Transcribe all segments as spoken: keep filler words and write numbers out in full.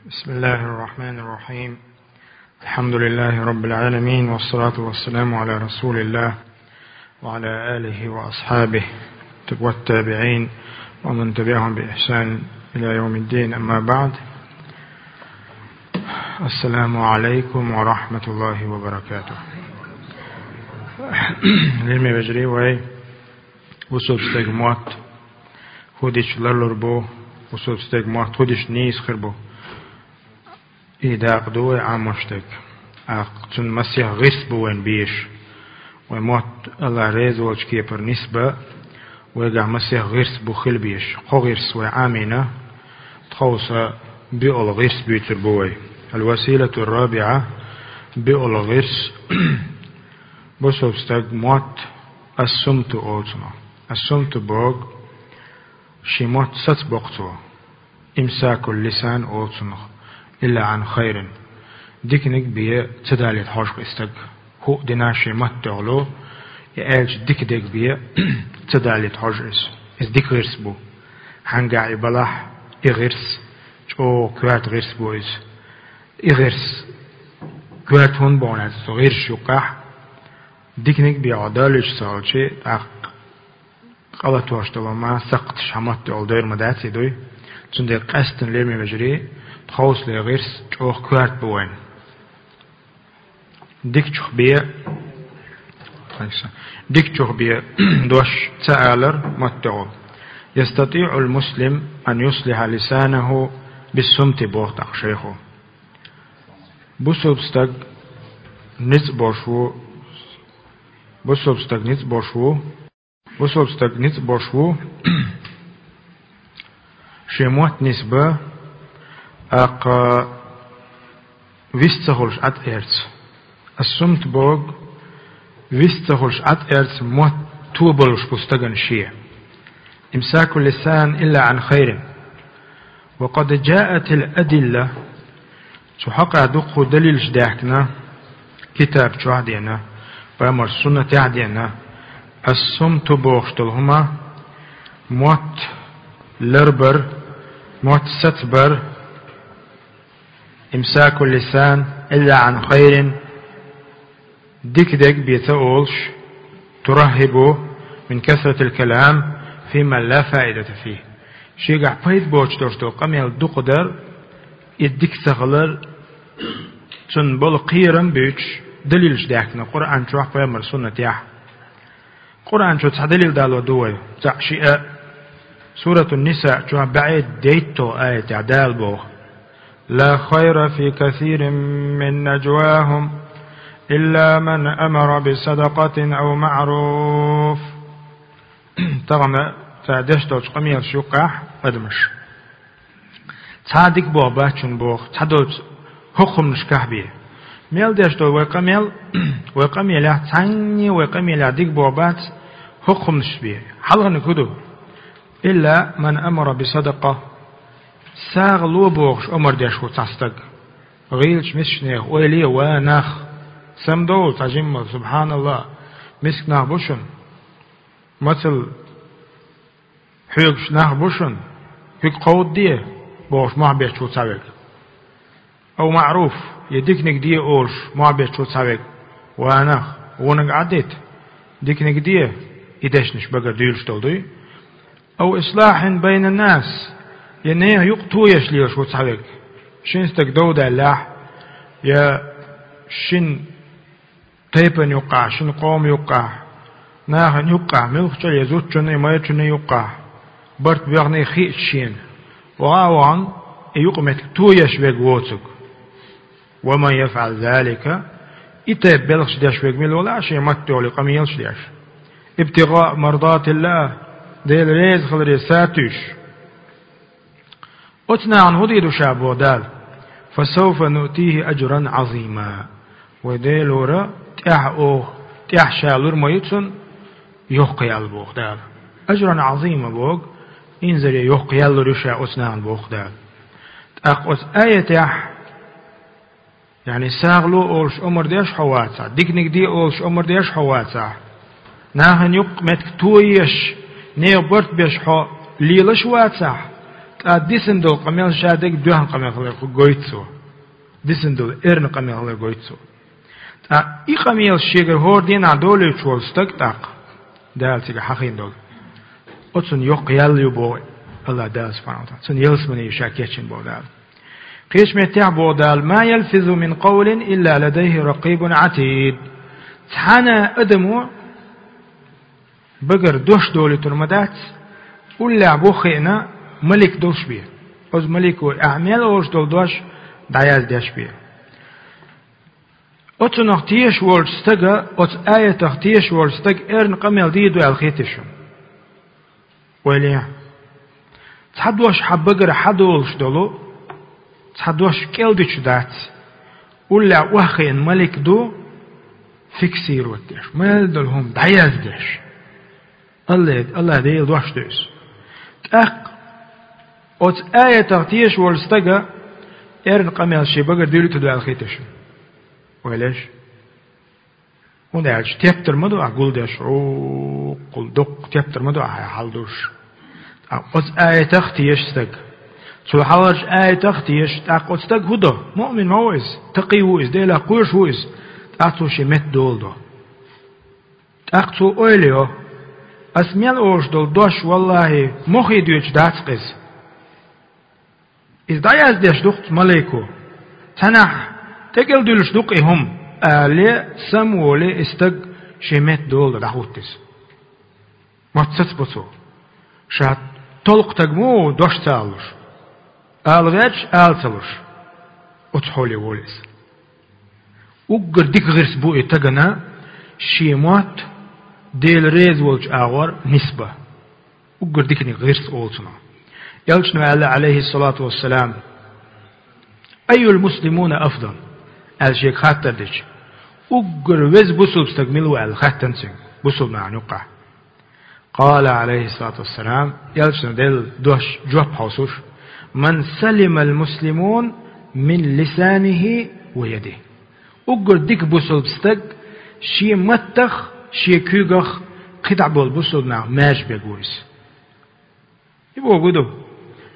بسم الله الرحمن الرحيم. الحمد لله رب العالمين، والصلاة والسلام على رسول الله وعلى آله وأصحابه والتابعين ومن تبعهم بإحسان إلى يوم الدين، أما بعد. السلام عليكم ورحمة الله وبركاته. Лераме вежарий, вай бусалба стеган мотт хӀу дича ларлур бу, бусалба стеган мотт хӀу дича нийса хир бу. И дакъа ду вай Ӏамош дерг. ТӀаккха цунна масех гӀирс бу вайна безаш. Вай мотт АллахӀ реза волча кепара нисбан, вайгахь масех гӀирс бу хила безаш. Кхо гӀирс вай Ӏамийна, тховса биъолгӀа гӀирс буьйцур бу вай. الوسيلة الرابعة, биъолгӀа гӀирс. Бусалба стеган мотт ас-сумту олу цунах. Ас-сумту боху, шен мотт сацабоккху цо. إمساك اللسان олу цунах, إلا عن خير. Диканиг бен ца далийта хьожу-кх и стаг. ХӀуъа дина шен мотт тӀехула, и аьлча дика дерг бен ца далийта хьожу иза. Иза дика гӀирс бу. Хьангахь и балахь, и гӀирс чӀогӀа коьрта гӀирс бу иза. И гӀирс коьрта хӀунда боху аьлча, цу гӀирсашна юккъехь диканиг бен хьо далуьйш ца хилча, тӀаккха къа латош долу ма сакхташ хьан мотт тӀехула дойр ма дац и дуй. Цундела къаьсттина, лераме вежарий, тховсале гӀирс чӀогӀа коьрта бу вайна. Дикачух бен, дикачух бен дош ца алар мотт тӀехула. يستطيع المسلم أن يصلح لسانه بالصمت боху тӀаккха шайхо. Бусалба стаг ницкъ болуш ву, бусалба стаг ницкъ болуш ву, бусалба стаг ницкъ болуш ву, шен мотт нисбан, тӀаккха вист ца хуьлуш Ӏад-эрца. Ас-сумт боху, вист ца хуьлуш Ӏад-эрца мотт тобалуш бу стагана шен. إمساك اللسان إلا عن خير. وقد جاءت الأدلة, цу хьокъехь дуккха далилаш даьхкина, китаб чохь а деана, пайхамар суннатехь а деана, ас-сумту бохуш долу хӀума, мотт ларбар, мотт сацбар, إمساك اللسان إلا عن خير, дика дерг бен ца олуш, ترهب من كثرة الكلام فيما لا فائدة فيه. Шегахь пайда боцуш долуш долу къамел дукха дар, и дика ца хилар, цунна болу кхерам буьйцуш далилаш даьхкина Къуръан чохь, пайхамар суннатехь. Къуръан чу цхьа далил дало ду вай, цхьаъ, шиъ а. Суратун-Нисаъ чохь бӀе дейтталгӀа аятехь Дала боху: لا خير في كثير من نجواهم إلا من أمر بصدقة أو معروف. Тахана цара деш долчу къамелаш юккъехь адамаш. Цхьа а дика боху бац шуна боху, цхьадолчу хӀокху хӀуманашкахь бен. Мел деш долу вай къамел, вай къамелехь, цхьанне а вай къамелехь дика боху бац хӀокху хӀуманаш бен. Хьалханиг хӀун ду? إلا من أمر بصدقة. СагӀа ло бохуш омра деш ву цхьа стаг. ГӀийлачу мискачу нехан ойла е, ва нах, самадовла цхьа жимма, субхьаналлахӀ, миска нах бу шуна. Мацалла хьоьгуш нах бу шуна, куьг кховдаде, бохуш мохь бетташ ву цхьа верг. Ау маъруф, я диканиг де олуш мохь бетташ ву цхьа верг. Ва нах, вониг Ӏаддита, диканиг де, и дешнаш багара дуьйлуш долу дуй. Ау ислахьин байнан-нас, я нехан юкъа тоеш лелаш ву цхьа верг. Шин стаг дов даьллехь, я шин тайпана юккъахь, шина къоман юккъахь, нахана юккъахь, муьлххачу а, я зудчунна, я майрачунна юккъахь, барт боьхний хиъча шена, ваха а вахана, и юкъаметтиг тоеш верг воцург. ومن يفعل ذلك, и тайпа белхаш деш верг мила валахь а, шен маттехула къамелаш деш, ابتغاء مرضات الله, Дела реза хиларе сатуьйсуш. Оцу нахана хӀун дийр ду ша боху Дала? فسوف نؤتيه أجرا عظيما. Вай Делора тӀаьхьа оха, тӀаьхьа ша лур ма ю цунна йоккха ял боху Дала. أجرا عظيما боху, инзаре йоккха ял лур ю ша оцу нахана боху Дала. ТӀаккха оцу аятехь, яъни сагӀа ло олуш омра деш хьо вацахь, диканиг де олуш омра деш хьо вацахь, нахана юкъаметтиг тоеш, нехан барт беш хьо лелаш вацахь, ТӀаккха дисина долу къамел ша дерг доьхна къамел хилар гойту цо. Дисина долу эрна къамел хилар гойту цо. ТӀаккха и къамелаш шегара хӀора дийнахь долуьйтуш волу стаг тӀаккха, Дала цига хьахийна долу, оцунна йоккха ял ю боху Аллах Дала субхьанаху ва таӀала. Цунна ялсамани ю ша кечйина боху Дала. Кхечу меттехь боху Дала: «Ма ялфизу мин къавлин илла ладайхи ракъибун атид». Цхьана адамо багара дош долуьйтур ма дац, уллехь бу хиъна малик долуш бен. Оцу малико ахь мел олуш долу дош дӀаяздеш бен. Оцунах тешаш волчу стага, оцу аятах тешаш волчу стага эрна къамел дийр ду аьлла хетий шуна? Ойла е. Цхьа дош хьан багара хьадолуш долу, цхьа дош кӀел дича дац, уллехь охьахиъна малик ду, фиксировать деш, мел долу хӀума дӀаяздеш. Аллах, Аллах Делан дош ду иза. ТӀаккха оцу аятах тешаш волу стага эрна къамел шен багара дуьйлуьйтур ду аьлла хетий шуна? Ойла еш. ХӀунда аьлча тептар ма ду ахь гулдеш, гӀуккул дуккха тептар ма ду ахь хьалдуш. ТӀаккха оцу аятах теша стаг. Цо хьалхарчу аятах теша, тӀаккха оцу стаг хӀун до? Муъмин ма ву иза, такъий ву иза, Делах кхоьруш ву иза. ТӀаккха цо шен метта дола до. ТӀаккха цо ойла йо: «Ас мел олуш долу дош, валлахӀи, мохе дуьйцуш дац-кх иза». Иза дӀаяздеш ду-кх малико. Цхьанхьа тӀекӀел дуьллуш ду-кх и хӀума, алале, самаволе и стаг шен метта дола до, дӀахӀутту иза. Мотт сацабо цо. Ша толкха стаг ма ву дош ца алалуш. Ала гӀерташ, ала ца луш. Оцу хьоле волу иза. Уггар дика гӀирс бу и стагана шен мотт Дела реза волчу агӀор нисбан. Уггар диканиг гӀирс олу цунах. Элчано аьлла, Ӏалайхиссалату вассалам: «Айюл муслимуна афдал?» аьлла шега хаттар дича, уггар веза бусулба стаг мила ву аьлла хаьттина цуьнга бусулба нахана юккъехь. Къала, Ӏалайхиссалату вассалам, Элчано делла дош жоп хьовсуш: «Ман салимал муслимун мин лисанихи ва ядихи». Уггар дика бусулба стаг шен маттах, шен куьйгах кхидӀа болу бусулба нах маьрша берг ву иза. И бохург ду,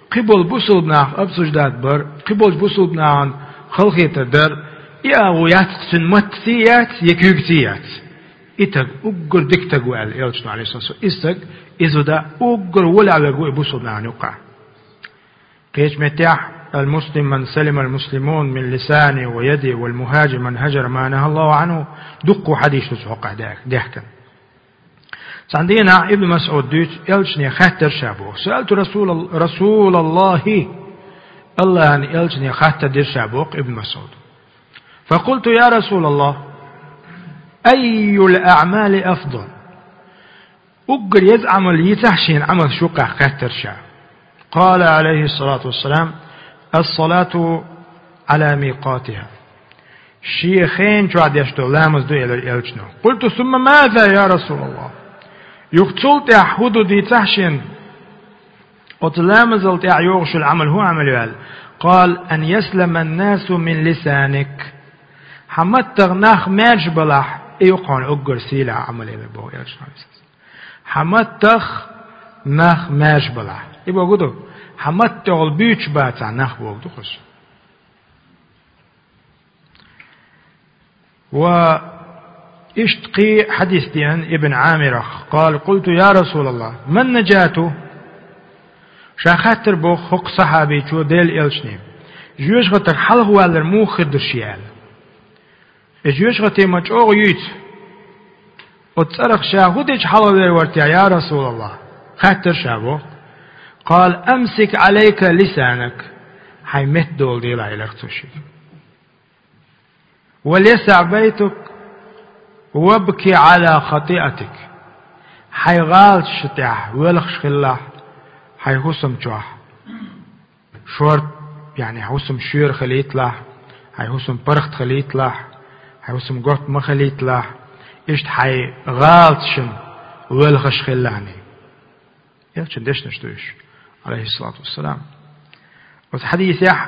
кхин болу бусулба нах обсуждать бар, кхин болчу бусулба нахана халахетар дар, и агӀо яц-кх цуьнан маттаций яц, я куьйгаций яц. И стаг уггар дика стаг ву аьлла Элчано, Ӏалайхиссалату вассалам. И стаг, и зуда уггар вале а верг ву и бусулба нахана юккъехь. Кхечу меттехь: «Ал-муслим ман салимал муслимун мин лисани ва яди, вал мухажир ман хажара ма нахаллаху анху». Дуккха хьадисаш ду цу хьокъехь даьхкина. Цхьана дийнахь Ибн МасӀуда дуьйцу, Элчане хаьттира ша боху: «Саалту Расулал-, Расулаллахи», Аллахьан Элчане хаттар дира ша боху Ибн МасӀуда. «Факулту: я Расулаллах, айюл аъмали афдал?» Уггар еза Ӏамал йийцахьа шена Ӏамалш юккъехь хаьттира ша. Къала, Ӏалайхиссалату вассалам: «Ас-салату Ӏала микъатиха». Шен хенан чохь деш долу ламаз ду, элира Элчано. Къулту: «Сумма маза, я Расулаллах?» Юха цул тӀаьхьа хӀун ду дийцахьа шена? Оцу ламазал тӀаьхьа йогӀуш йолу Ӏамал хӀун Ӏамал ю аьлла? Къала: «Ан яслама ан-насу мин лисаник». Хьан маттах нах маьрша балахь, и ю хьуна уггар сийлахь Ӏамал, элира боху Элчано. Хьан маттах нах маьрша балахь. И бохург ду, хьан маттахула буьйцуш бацахь нах, бохург ду кхуьш. Ва иштта кхин хьадис деана Ибн Ӏамирах. Къала: «Къулту: я Расулаллах, ман наджату?» Ша хаттар боху хӀокху сахьабичо Делан Элчане: «Жоьжахатех хьалхавалар муха хир ду шен?» аьлла. И жоьжахати ма чӀогӀа юьйцу. Оцу цӀарах ша хӀун дича хьалхавер вара те, я Расулаллах? Хаттар ша боху. Къала: «Амсик Ӏалайка лисанак». Хьайн метта дола делахь, элира цо шега. «Вал ясаӀ байтук, вабки Ӏала хатиатик». Хьайн гӀалаташ тӀехь воьлхуш хилалахь, хьайн хӀусам чохь шорта, яъни хьайн хӀусам шуьйра хилийталахь, хьайн хӀусам паргӀат хилийталахь, хьайн хӀусам готта ма хилийталахь, иштта хьайн гӀалаташна воьлхуш хилалахь. Элчан дешнаш ду уьш, Ӏалайхиссалату вассалам. Оцу хьадисехь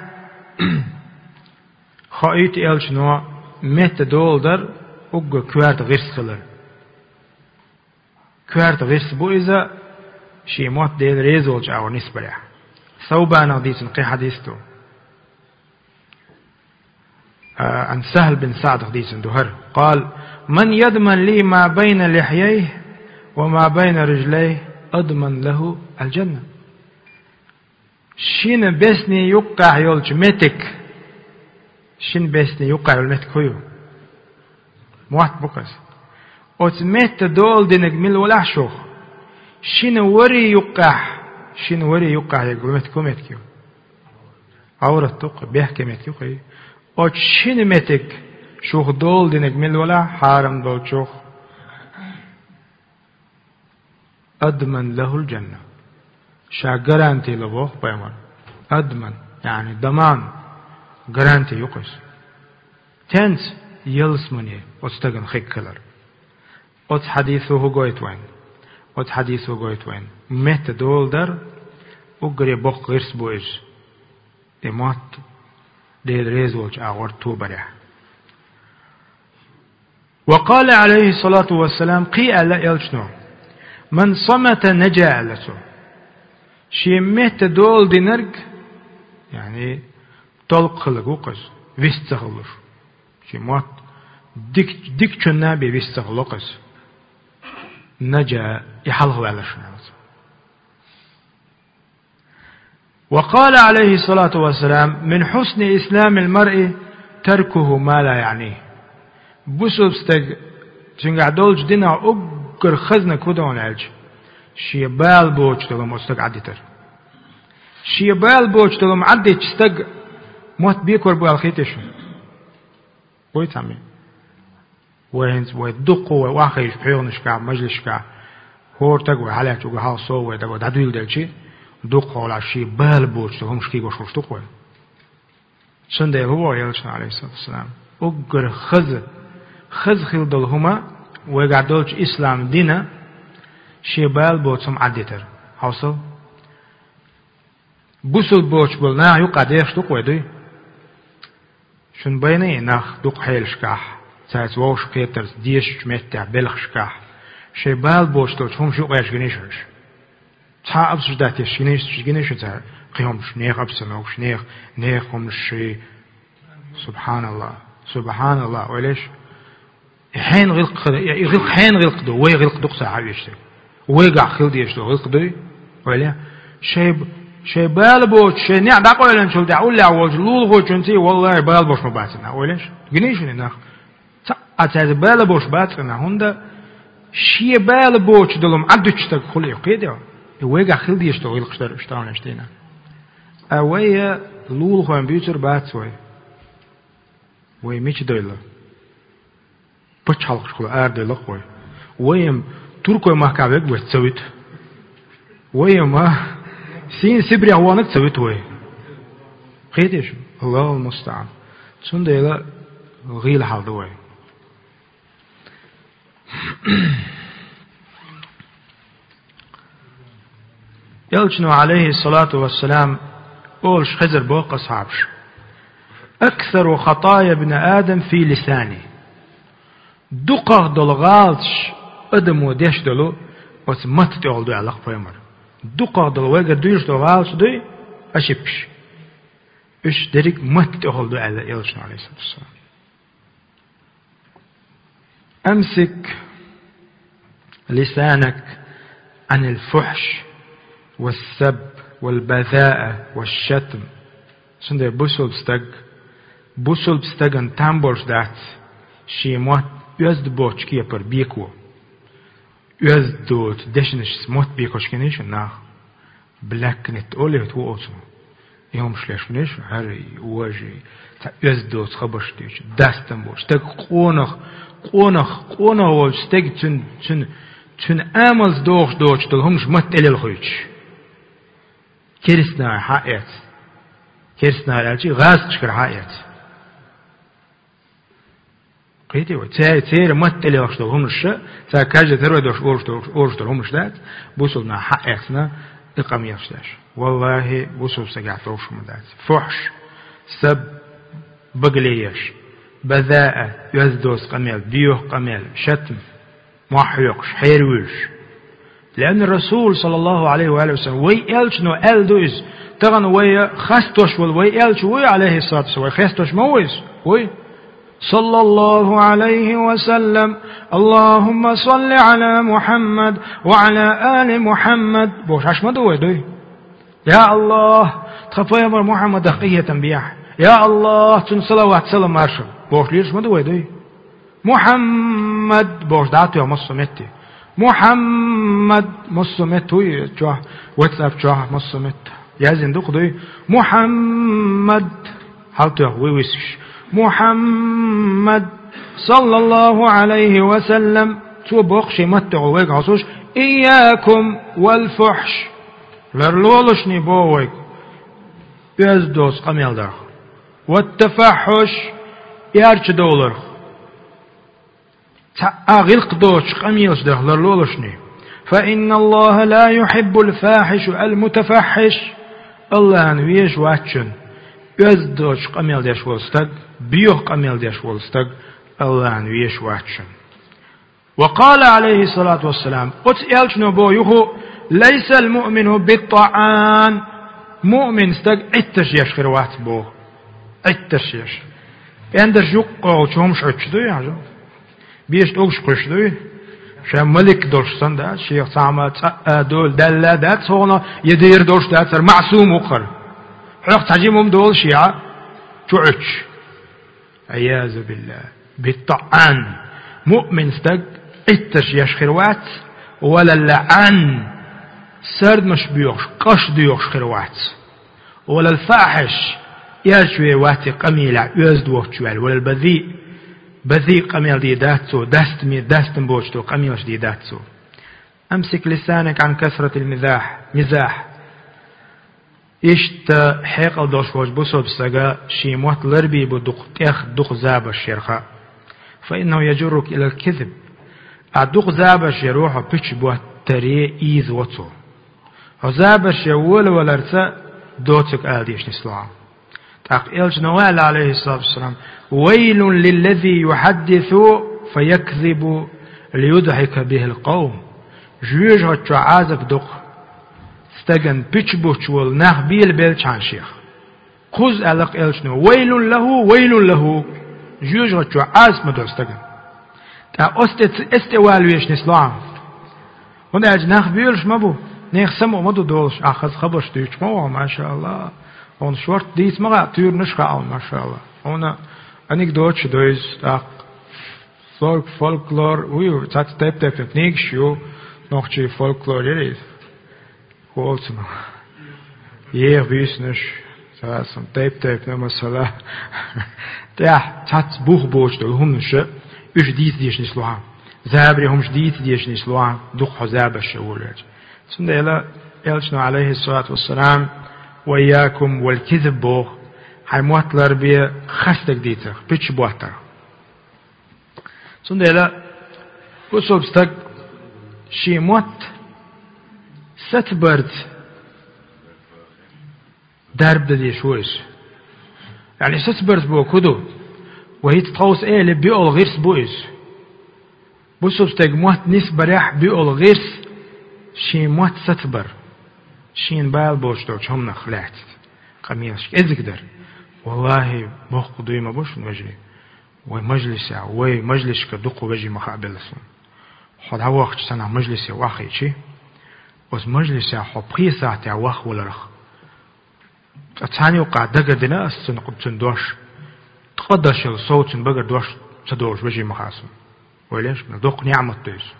хоуьйту Элчано метта дола дар уггар коьрта гӀирс хилар. Коьрта гӀирс бу иза, шен мотт Делан реза волчу агӀор нисбарехь. Саубанах дийцина кхин хьадис ду. А, ан Сахьл бин Саъдах дийцина ду хӀара. قال: من يضمن لي ما بين لحييه وما بين رجليه أضمن له الجنة. Шина бесни юккъехь йолчу метиг, шина бесни юккъехь йолу метиг хӀун ю? Мотт бу-кх иза. Оцу метта дола динарг мила валахь шух? Шина вари юккъехь, шина вари юккъехь ерг метиг хӀун метиг ю? Ӏаврат ду-кх, бехке метиг ю-кх и. Оцу шина метиг шух дола динарг мила валахь, хьарам долчух? أضمن له الجنة. Ша гаранти ло боху пайхамар. Адман, яъни даман, гаранти ю-кх иза. Тенца? Ялсамане оцу стагана хиг хилар. Оцу хьадисо хӀун гойту вайн? Оцу хьадисо гойту вайн. Метта дола дар уггаре боккха гӀирс бу иза. И мотт Дела реза волчу агӀор тобарехь. وقال عليه الصلاة والسلام, кхин аьлла элчано: من صمت نجا, аьлла цо. Шен метта дола динарг, яъни толкъа хилларг ву-кх иза, вист ца хилалуш. Шен мотт дик-, дикачунна бен вист ца хилало-кх иза. نجا, и хьалхаваьлла шуна, аьлла цо. وقال عليه الصلاة والسلام: من حسن إسلام المرء تركه ما لا يعنيه. Бусулба стаг, цуьнгахь долчу динан уггар хазаниг хӀун ду аьлча, шен бала боцуш долу хӀума оцу стага Ӏаддитар. Шен бала боцуш долу хӀума Ӏаддитча стаг мотт бекор бу аьлла хетий шуна? Вай цхьаммо. Вай хӀинца, вай дуккха вай охьахевшича пхьоьханашкахь, мажлисашкахь, хӀора стаг вай хьалаьцча, уггар хьалха сов вай дагахь дӀадуьйладелча, дуккха хьолахь шен бала боцуш долу хӀумаш кхийгош хуьлуш ду-кх вай. Цундела хӀун боху элчано, Ӏалайхиссалату вассалам? Уггар хаза, хаза хила долу хӀума вайгахь долчу ислам дина шен бала боцу хӀума Ӏаддитар. Хьовсал? Бусулба боцуш болу нах юккъехь дехаш ду-кх вай, дуй? Шуна байна и нах дукха хьелашкахь, цаьрца вовшах кхетарца дешачу меттехь, белхашкахь, шайн бала боцуш долчу хӀумаш юкъаерча гиний шу уьш? Цхьа а обсуждать еш гиний шу, гиний шу цара кхин хӀумаш, нехан обстановкаш, нехан, нехан хӀуманаш ши? СубхьаналлахӀ, субхьаналлахӀ, ойла еш. И хьенан гӀиллакх, и гӀиллакх хьенан гӀиллакх ду, вай гӀиллакх ду-кх цхьа а вешан. Вайгахь хила дезаш долу гӀиллакх дуй? Ойла е. Шайн, шайн бала боцуш, шайн неӀ дӀакъевлинчул тӀаьхьа уллехь волчу лулахочуьнций, валлахӀи, бала боцуш ма бац и нах. Ойла еш? Гиний шуна и нах? Цхьа а цаьрца бала боцуш бац и нах, хӀунда шен бала боцуш долу хӀума Ӏаддуьтуш стаг хуьлу и, кхетий? И вайгахь хила дезаш долу гӀиллакхаш дара уьш, тахана еш дийна. Ткъа вай лулахойн буьйцур бац вай. Вай мича дойла? Пачхьалкхашкахула арадойла-кх вай. Вай-м туркойн махкахь верг вайца ца вуьту. Вай-м, а, сийна Сибрех ваханарг ца вуьту вай. Кхетий шу? АллахӀул мустаӀан. Цундела гӀийла хьал ду вай. Элчано, Ӏалайхиссалату вассалам, олуш хезар боху асхьабаш: «أكثر خطايا ابن آدم في لسانه». Дукхах долу гӀалаташ адамо деш долу оцу матта тӀехула ду аьлла-кх пайхамар. Дукхах долу вайгара дуьйш долу гӀалаташ дуй, ошибкаш. Уьш дерриг матта тӀехула ду аьлла Элчано, Ӏалайхиссалату вассалам. أمسك لسانك عن الفحش والسب والبذاءة والشتم. Цундела бусулба стаг, бусулба стагана там болуш дац шен мотт оьзда боцчу кепара беко. Оьзда доцу дешнашца мотт бекош гиний шу нах? Бляккнет олий хӀетта ву оцу. И хӀумаш леш вуьнуш, хӀара, вожа, цхьа оьзда доцу хабарш дуьйцу, дастам болуш. Стаг къонах, къонах, къонах волчу стеган цуьнан, цуьнан, цуьнан амалца дохуш доцуш долу хӀумаш матта тӀе лелхуьйтуш. Керстанахьара хьа а эцна. Керстанахьара аьлча, гӀазкхашкара хьа а эцна. Кхетий вай? Церан, церан матта тӀе лелхаш долу хӀуманаш, цара каждый тарой долуш, олуш долуш, олуш долу хӀуманаш дац, бусулба нах хьаэцна и къамелаш деш. Валлахи, бусулба стагехь товш хӀума дац. Фухьш, саб, багале еш, базаа, оьзда доцу къамел, боьха къамел, шатм, мохь хьоькхуш, хьервуьйлуш. لأن الرسول صلى الله عليه وآله وسلم, вай элчано аьлла ду иза. Тахана вай хастош волу вай элча вуй, алейхиссалату вассалам, вай хестош ма ву иза? Вуй. صلى الله عليه وسلم. اللهم صل على محمد وعلى آل محمد. Бохуш Ӏаш ма ду вай, дуй? Я Аллах, тхан пайхамар Мухьаммадах къинхетам бехьа. Я Аллах, цунна салават, салам, маршалла. Бохуш лелаш ма ду вай, дуй? Мухьаммад бохуш дӀа а тоьхна массо а метте. Мухьаммад массо а метте вуй чохь, WhatsApp чохь массо а метте. Яздина ду-кх, дуй? Мухьаммад. Хьалтоьхна вуй висаш. Мухьаммад, саллаллаху Ӏалайхи ва саллам. Цо боху шен маттехь вайга хьовсуш: «Ийякум вал фухьш». Ларлолашний боху вайга оьзда доцу къамел дарх. «Ват тафаххьуш», эрча довларх. Цхьа а гӀиллакх доцуш къамелаш дарх ларлолашний. «Фа инна Аллаха ла юхьиббул фахьиша ал мутафаххьиш». Аллахьна везаш вац шуна оьзда доцуш къамел деш волу стаг, боьха къамел деш волу стаг Аллахьна везаш вац шуна. Ва къала, алейхиссалату вассалам, оцу элчано боху юху: «Лайсал муъмину биттаъан». Муъмин стаг Ӏиттарш еш хир вац боху. Ӏиттарш еш. ПӀендарш юккъехула чу хӀумаш Ӏуьттуш дуй, хьажа? Бешан тӀулгаш кхуьссуш дуй? Ша малик долуш санна дац, шех цхьа а ма цкъа а доьлла даьлла дац хьуна, я дера долуш дац, хӀара маъсум ву-кх хӀара. Хьох цхьа жима хӀума долуш я, чу Ӏуьттуш. Ӏиязу биллахӀ. БиттаӀан. Муъмин стаг Ӏиттарш еш хир вац, вала лаӀан. Сардамаш боьхуш, къаш доьхуш хир вац. Вала фахьиш. Эрча вер вац и къамелехь оьзда воцуш ваьлла. Вала базиъ. Базиъ къамел дийр дац цо, дастаме, дастам боцуш долу къамелаш дийр дац цо. Амсик лисанак Ӏан касратил мизахь. Мизахь. Иштта хьекъал долуш волчу бусалба стага шен мотт ларбийр бу дукха тӀех, дукха забарш ярх. Фа иннаху яжуррука илал кизиб. Ахь дукха забарш яро хьо пуьчаш боттаре ийзаво цо. Хьо забарш ян волаваларца доцург ала дезаш нисло хьан. ТӀаккха элчано аьлла, алейхиссалату вассалам: «Вайлун лиллази юхьаддису фаякзибу лиюдхьика бихил къавм». Жоьжахати чохь Ӏазап ду-кх стагана пуьчаш буттуш волу нах белабелчхьана шех. Кхузза аьлла-кх элчано: «Вайлун лаху, вайлун лаху». Жоьжахати чохь Ӏазап ма до стагана. ТӀаккха оцу тӀе ца, эс тӀе вала везаш нисло хьан. ХӀунда аьлча нах боьлуш ма бу, нехан самукъа ма ду долуш, ахь хаза хабарш дуьйцуш ма ву хьо, машааллахӀ. Хьуна шортта дийца ма хаьа, туьйранаш хаьа хьуна, машааллахӀ. Хьуна анекдоташ ду иза, тӀаккха фольк-, фольклор, уй, цхьацца тайп-тайпана книгаш ю, нохчийн фольклор яра иза. Холцума. Еха буьйсанаш, цацам, тайп-тайпана масала. ТӀехь цхьацца бух боцуш долу хӀуманаш, уьш дийца дезаш нисло хьан. Забаре хӀумаш дийца дезаш нисло хьан, дукха хьо забарш ян волавелча. Цундела элчано, алейхиссалату вассалам: «Ва ийякум вал кизиб», боху, хьайн мотт ларбе хастаг дийцарх, пуьчаш боттарх. Цундела бусалба стаг шен мотт сацабарца дарба дан дезаш ву иза. Яъни сацабарца бохург хӀун ду? Вай хӀинца тховса элира, биъолгӀа гӀирс бу иза. Бусалба стеган мотт нисбарехь биъолгӀа гӀирс шен мотт сацабар. Шена бала боцуш долчу хӀуманах лаьцна къамелаш кӀезиг дар. Валлахи, боккха дуй ма бу шуна, вежарий. Вай мажлисехь, вай мажлисашкара дукха вежарий ма хаабелла суна. Хьо дӀавахча санна мажлисе вахийчи, оцу мажлисехь хьо пхи сахьтехь вахваларх. Ткъа цхьана юккъехь дагардина ас цуьнан, цуьнан дош, ткъа дашал сов цуьнан багара дош ца долуш вежарий ма хаьа суна. Вай леш, мел доккха неӀмат ду иза.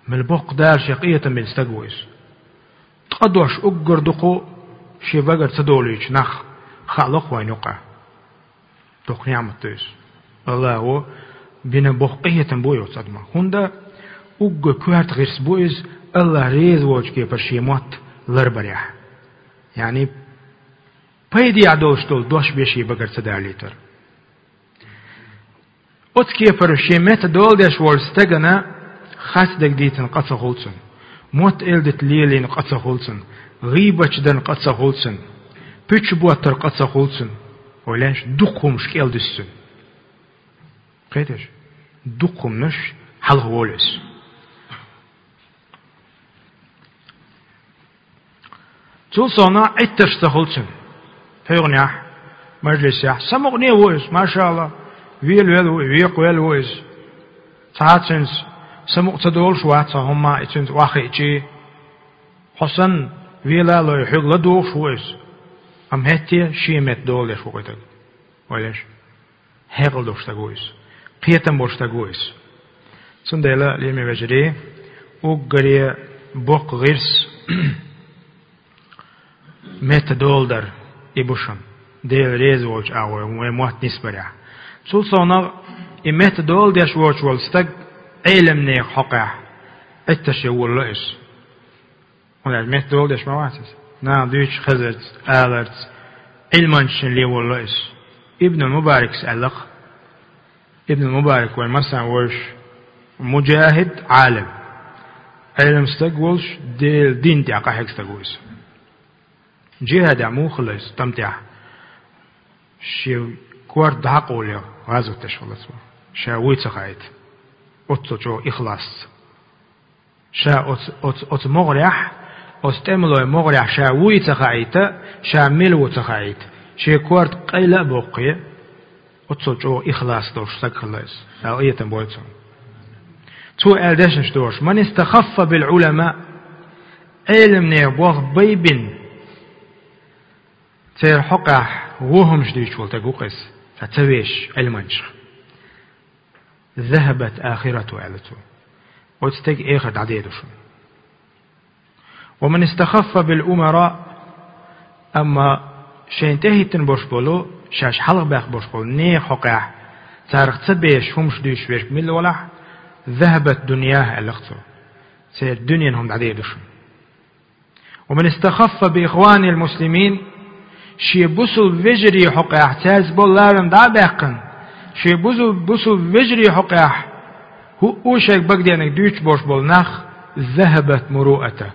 Мел боккха Дала шех къинхетам бина стаг ву иза. Ткъа дош уггар дукха шен багара ца долуьйтуш нах хаало-кх вайна юккъехь. Доккха неӀмат ду иза. АллахӀа бина боккха къинхетам бу и оцу адаман. ХӀунда уггар коьрта гӀирс бу иза, АллахӀ реза волчу кепара шен мотт ларбарехь. Яъни, пайдехь долуш долу дош бен шен багара ца далийтар. Оцу кепара шен метта дола деш волчу стагана хастаг дийцина къа ца хуьлу цунна, мотт-элдита лелийна къа ца хуьлу цунна, гӀийбаташ дарна къа ца хуьлу цунна, пуьчаш боттар къа ца хуьлу цунна. Вай леш, дукха хӀумаш кӀел дуьсу цуьнан. Кхеташ? Дукха хӀуманаш хьалха волу иза. Цул совнагӀа Ӏиттарш ца хуьлу цуьнан. ПхьегӀанехь, мажлисехь, самукъане а ву иза, машаАллахӀ, велавелла ву, векхавелла ву иза. Цхьа а цуьнца самукъа ца долуш вац хьо хӀумма, и цуьнца охьахиъчий. Хьо санна, вела а лой, хьоьга ладугӀуш ву иза. Амма хӀетте а шен метта дола деш ву кхуьйтаг. Ойла еш. Хьекъал долуш стаг ву иза. Кхетам болуш стаг ву иза. Цундела, лераме вежарий, уггаре боккха гӀирс метта дола дар и бу шуна, Дела реза волчу агӀор вайн мотт нисбарехь. Цул совнагӀа, и метта дола деш воцуш волу стаг Ӏеламнехан хьокъехь Ӏиттарше волало иза. ХӀунда аьлча метта дола деш ма вац иза. Наха дуьйцуш хезарца, аларца, Ӏилманчашна ле волало иза. Ибн Мубаракс аьлла-кх. Ибн Мубарак вайн массарна вевзаш, муджахид, Ӏалим. Ӏелам стаг волуш, Делан дин тӀехь къахьега стаг ву иза. Джихадехь муха хилла иза, тӀам тӀехь? Шен корта дӀа а къовлий, гӀазот деш хилла цо. Ша вуй ца хаийта. Оццул чӀогӀа ихласца. Ша оцу, оцу, оцу могӀарехь, оцу тӀемалойн могӀарехь ша вуй ца хаийта, ша мила ву ца хаийта, шен корта къайла а боккхий, оццул чӀогӀа ихлас долуш стаг хилла иза, аьлла, къинхетам бойла цунна. Цо аьлла дешнаш доьшу: «Ман истахаффа бил Ӏулама», Ӏеламнехан болх байбина, церан хьокъехь вон хӀумнаш дуьйцуш волу стаг ву-кх иза, ца, ца вешаш Ӏилманчех. «Захабат ахиратуху», аьлла цо. Оцу стеган эхар дӀадер ду шуна. «Ва ман истахаффа бил умара», амма шайна тӀехӀиттина болуш болу, шаьш хьалхабаьккхина болуш болу нехан хьокъехь, царах ца бешаш хӀумнаш дуьйцуш верг милла валахь, «захабат дуньяху», аьлла-кх цо. Церан дуьненан хӀума дӀадер ду шуна. «Ва ман истахаффа би ихванил муслимин», шен бусулба вежарийн хьокъехь цаьрца болу ларам дӀа а баьккхина, шен бусу-, бусулба вежарийн хьокъехь хӀуъу шайга багадеанарг дуьйцуш болуш болу нах, «захабат муруатуху»,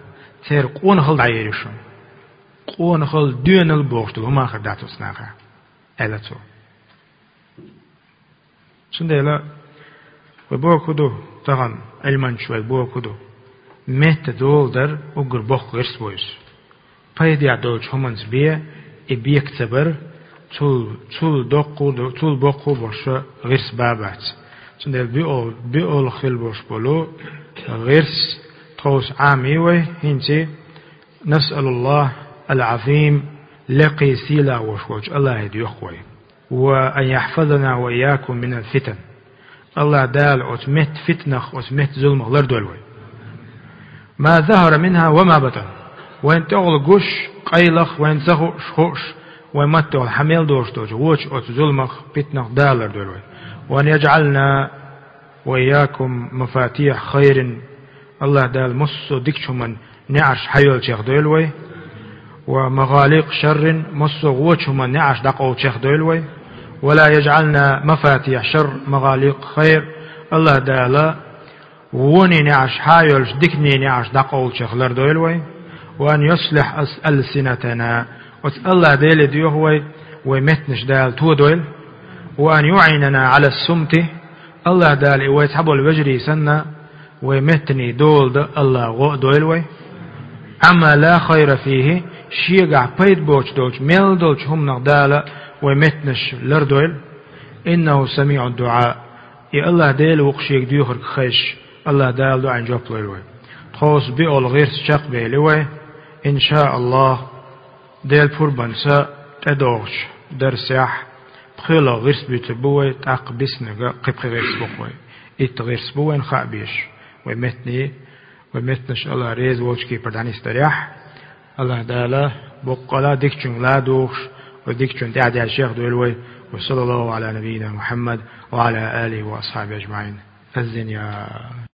церан къонахалла дӀаер ю шуна. Къонахалла, доьналла бохуш долу хӀума хир дац оцу нахехь, аьлла цо. Цундела вай бохург хӀун ду, тахана Ӏилманчаш вай бохург хӀун ду? Метта дола дар уггар боккха гӀирс бу иза. Пайдехь долчу хӀуманца бен и бека ца бар, цул, цул доккха а ду, цул боккха а болуш гӀирс бан бац. Цундела биъол-, биъолгӀа хила болуш болу гӀирс тховса Ӏамий вай, хӀинца: «Насъалуллахал Ӏазим», лекхий сийлахь волуш волчу АллахӀе доьху вай. «Ва ан яхфазана ва ийякум минал фитан». АллахӀ Дала оцу метта фитнах, оцу метта зуламах лардойла вай. «Ма захара минха ва ма батан». Вайн тӀехула гуш, къайлах, вайн ца хууш, хууш, вайн маттехула хьан мел долуш долчу вочу оцу зуламах, фитнах Дала лардойла вай. «Ва ан яджӀална ва ийякум мафатиха хайрин». АллахӀ Дала массо а дикачу хӀуманна неӀарш хьайолчех дойла вай. «Ва магӀаликъа шаррин», массо а вочу хӀуманна неӀарш дӀакъовлучех дойла вай. «Ва ла яджӀална мафатиха шарр магӀаликъа хайр». АллахӀ Дала вонийн неӀарш хьайолуш, диканийн неӀарш дӀакъовлучех лардойла вай. «Ва ан юслихьа ас-, алсинатана». Оцу АллахӀ Деле доьху вай, вай меттанаш Дала тодойла. «Ва ан юӀинана Ӏала сумти». АллахӀ Дала и вай цхьаболу вежарий санна, вай меттанийн дола дан АллахӀа гӀо а дойла вай. «Ӏамма ла хайра фихи», шегахь пайда боцуш долчу мел долчу хӀуманах Дала вай меттанаш лардойла. «ИннахӀу самиӀу ддуӀа». И АллахӀ Дела ву-кх шега доьхург хезаш, АллахӀ Дала дуӀанна жоп лойла вай. Тховса биъолгӀа гӀирс чекхбели вай, иншааллахӀ. Делан пурбанца тӀедогӀучу дарсехь пхоьалгӀа гӀирс буьйцур бу вай, тӀаккха биснарг кхин пхи гӀирс бу-кх вай. Итт гӀирс бу вайна хаа безаш, вай меттанийн, вай меттанаш АллахӀ реза волчу кепара дӀанисдарехь. АллахӀ Дала боккъала дикачуьнга ладугӀуш, вай дикачунна тӀаьхьадаьллачех дойла вай. Ва саллаллахӀу Ӏала набийина Мухьаммад ва Ӏала алихӀи ва асхьабихӀи ажмаӀин. Аззин я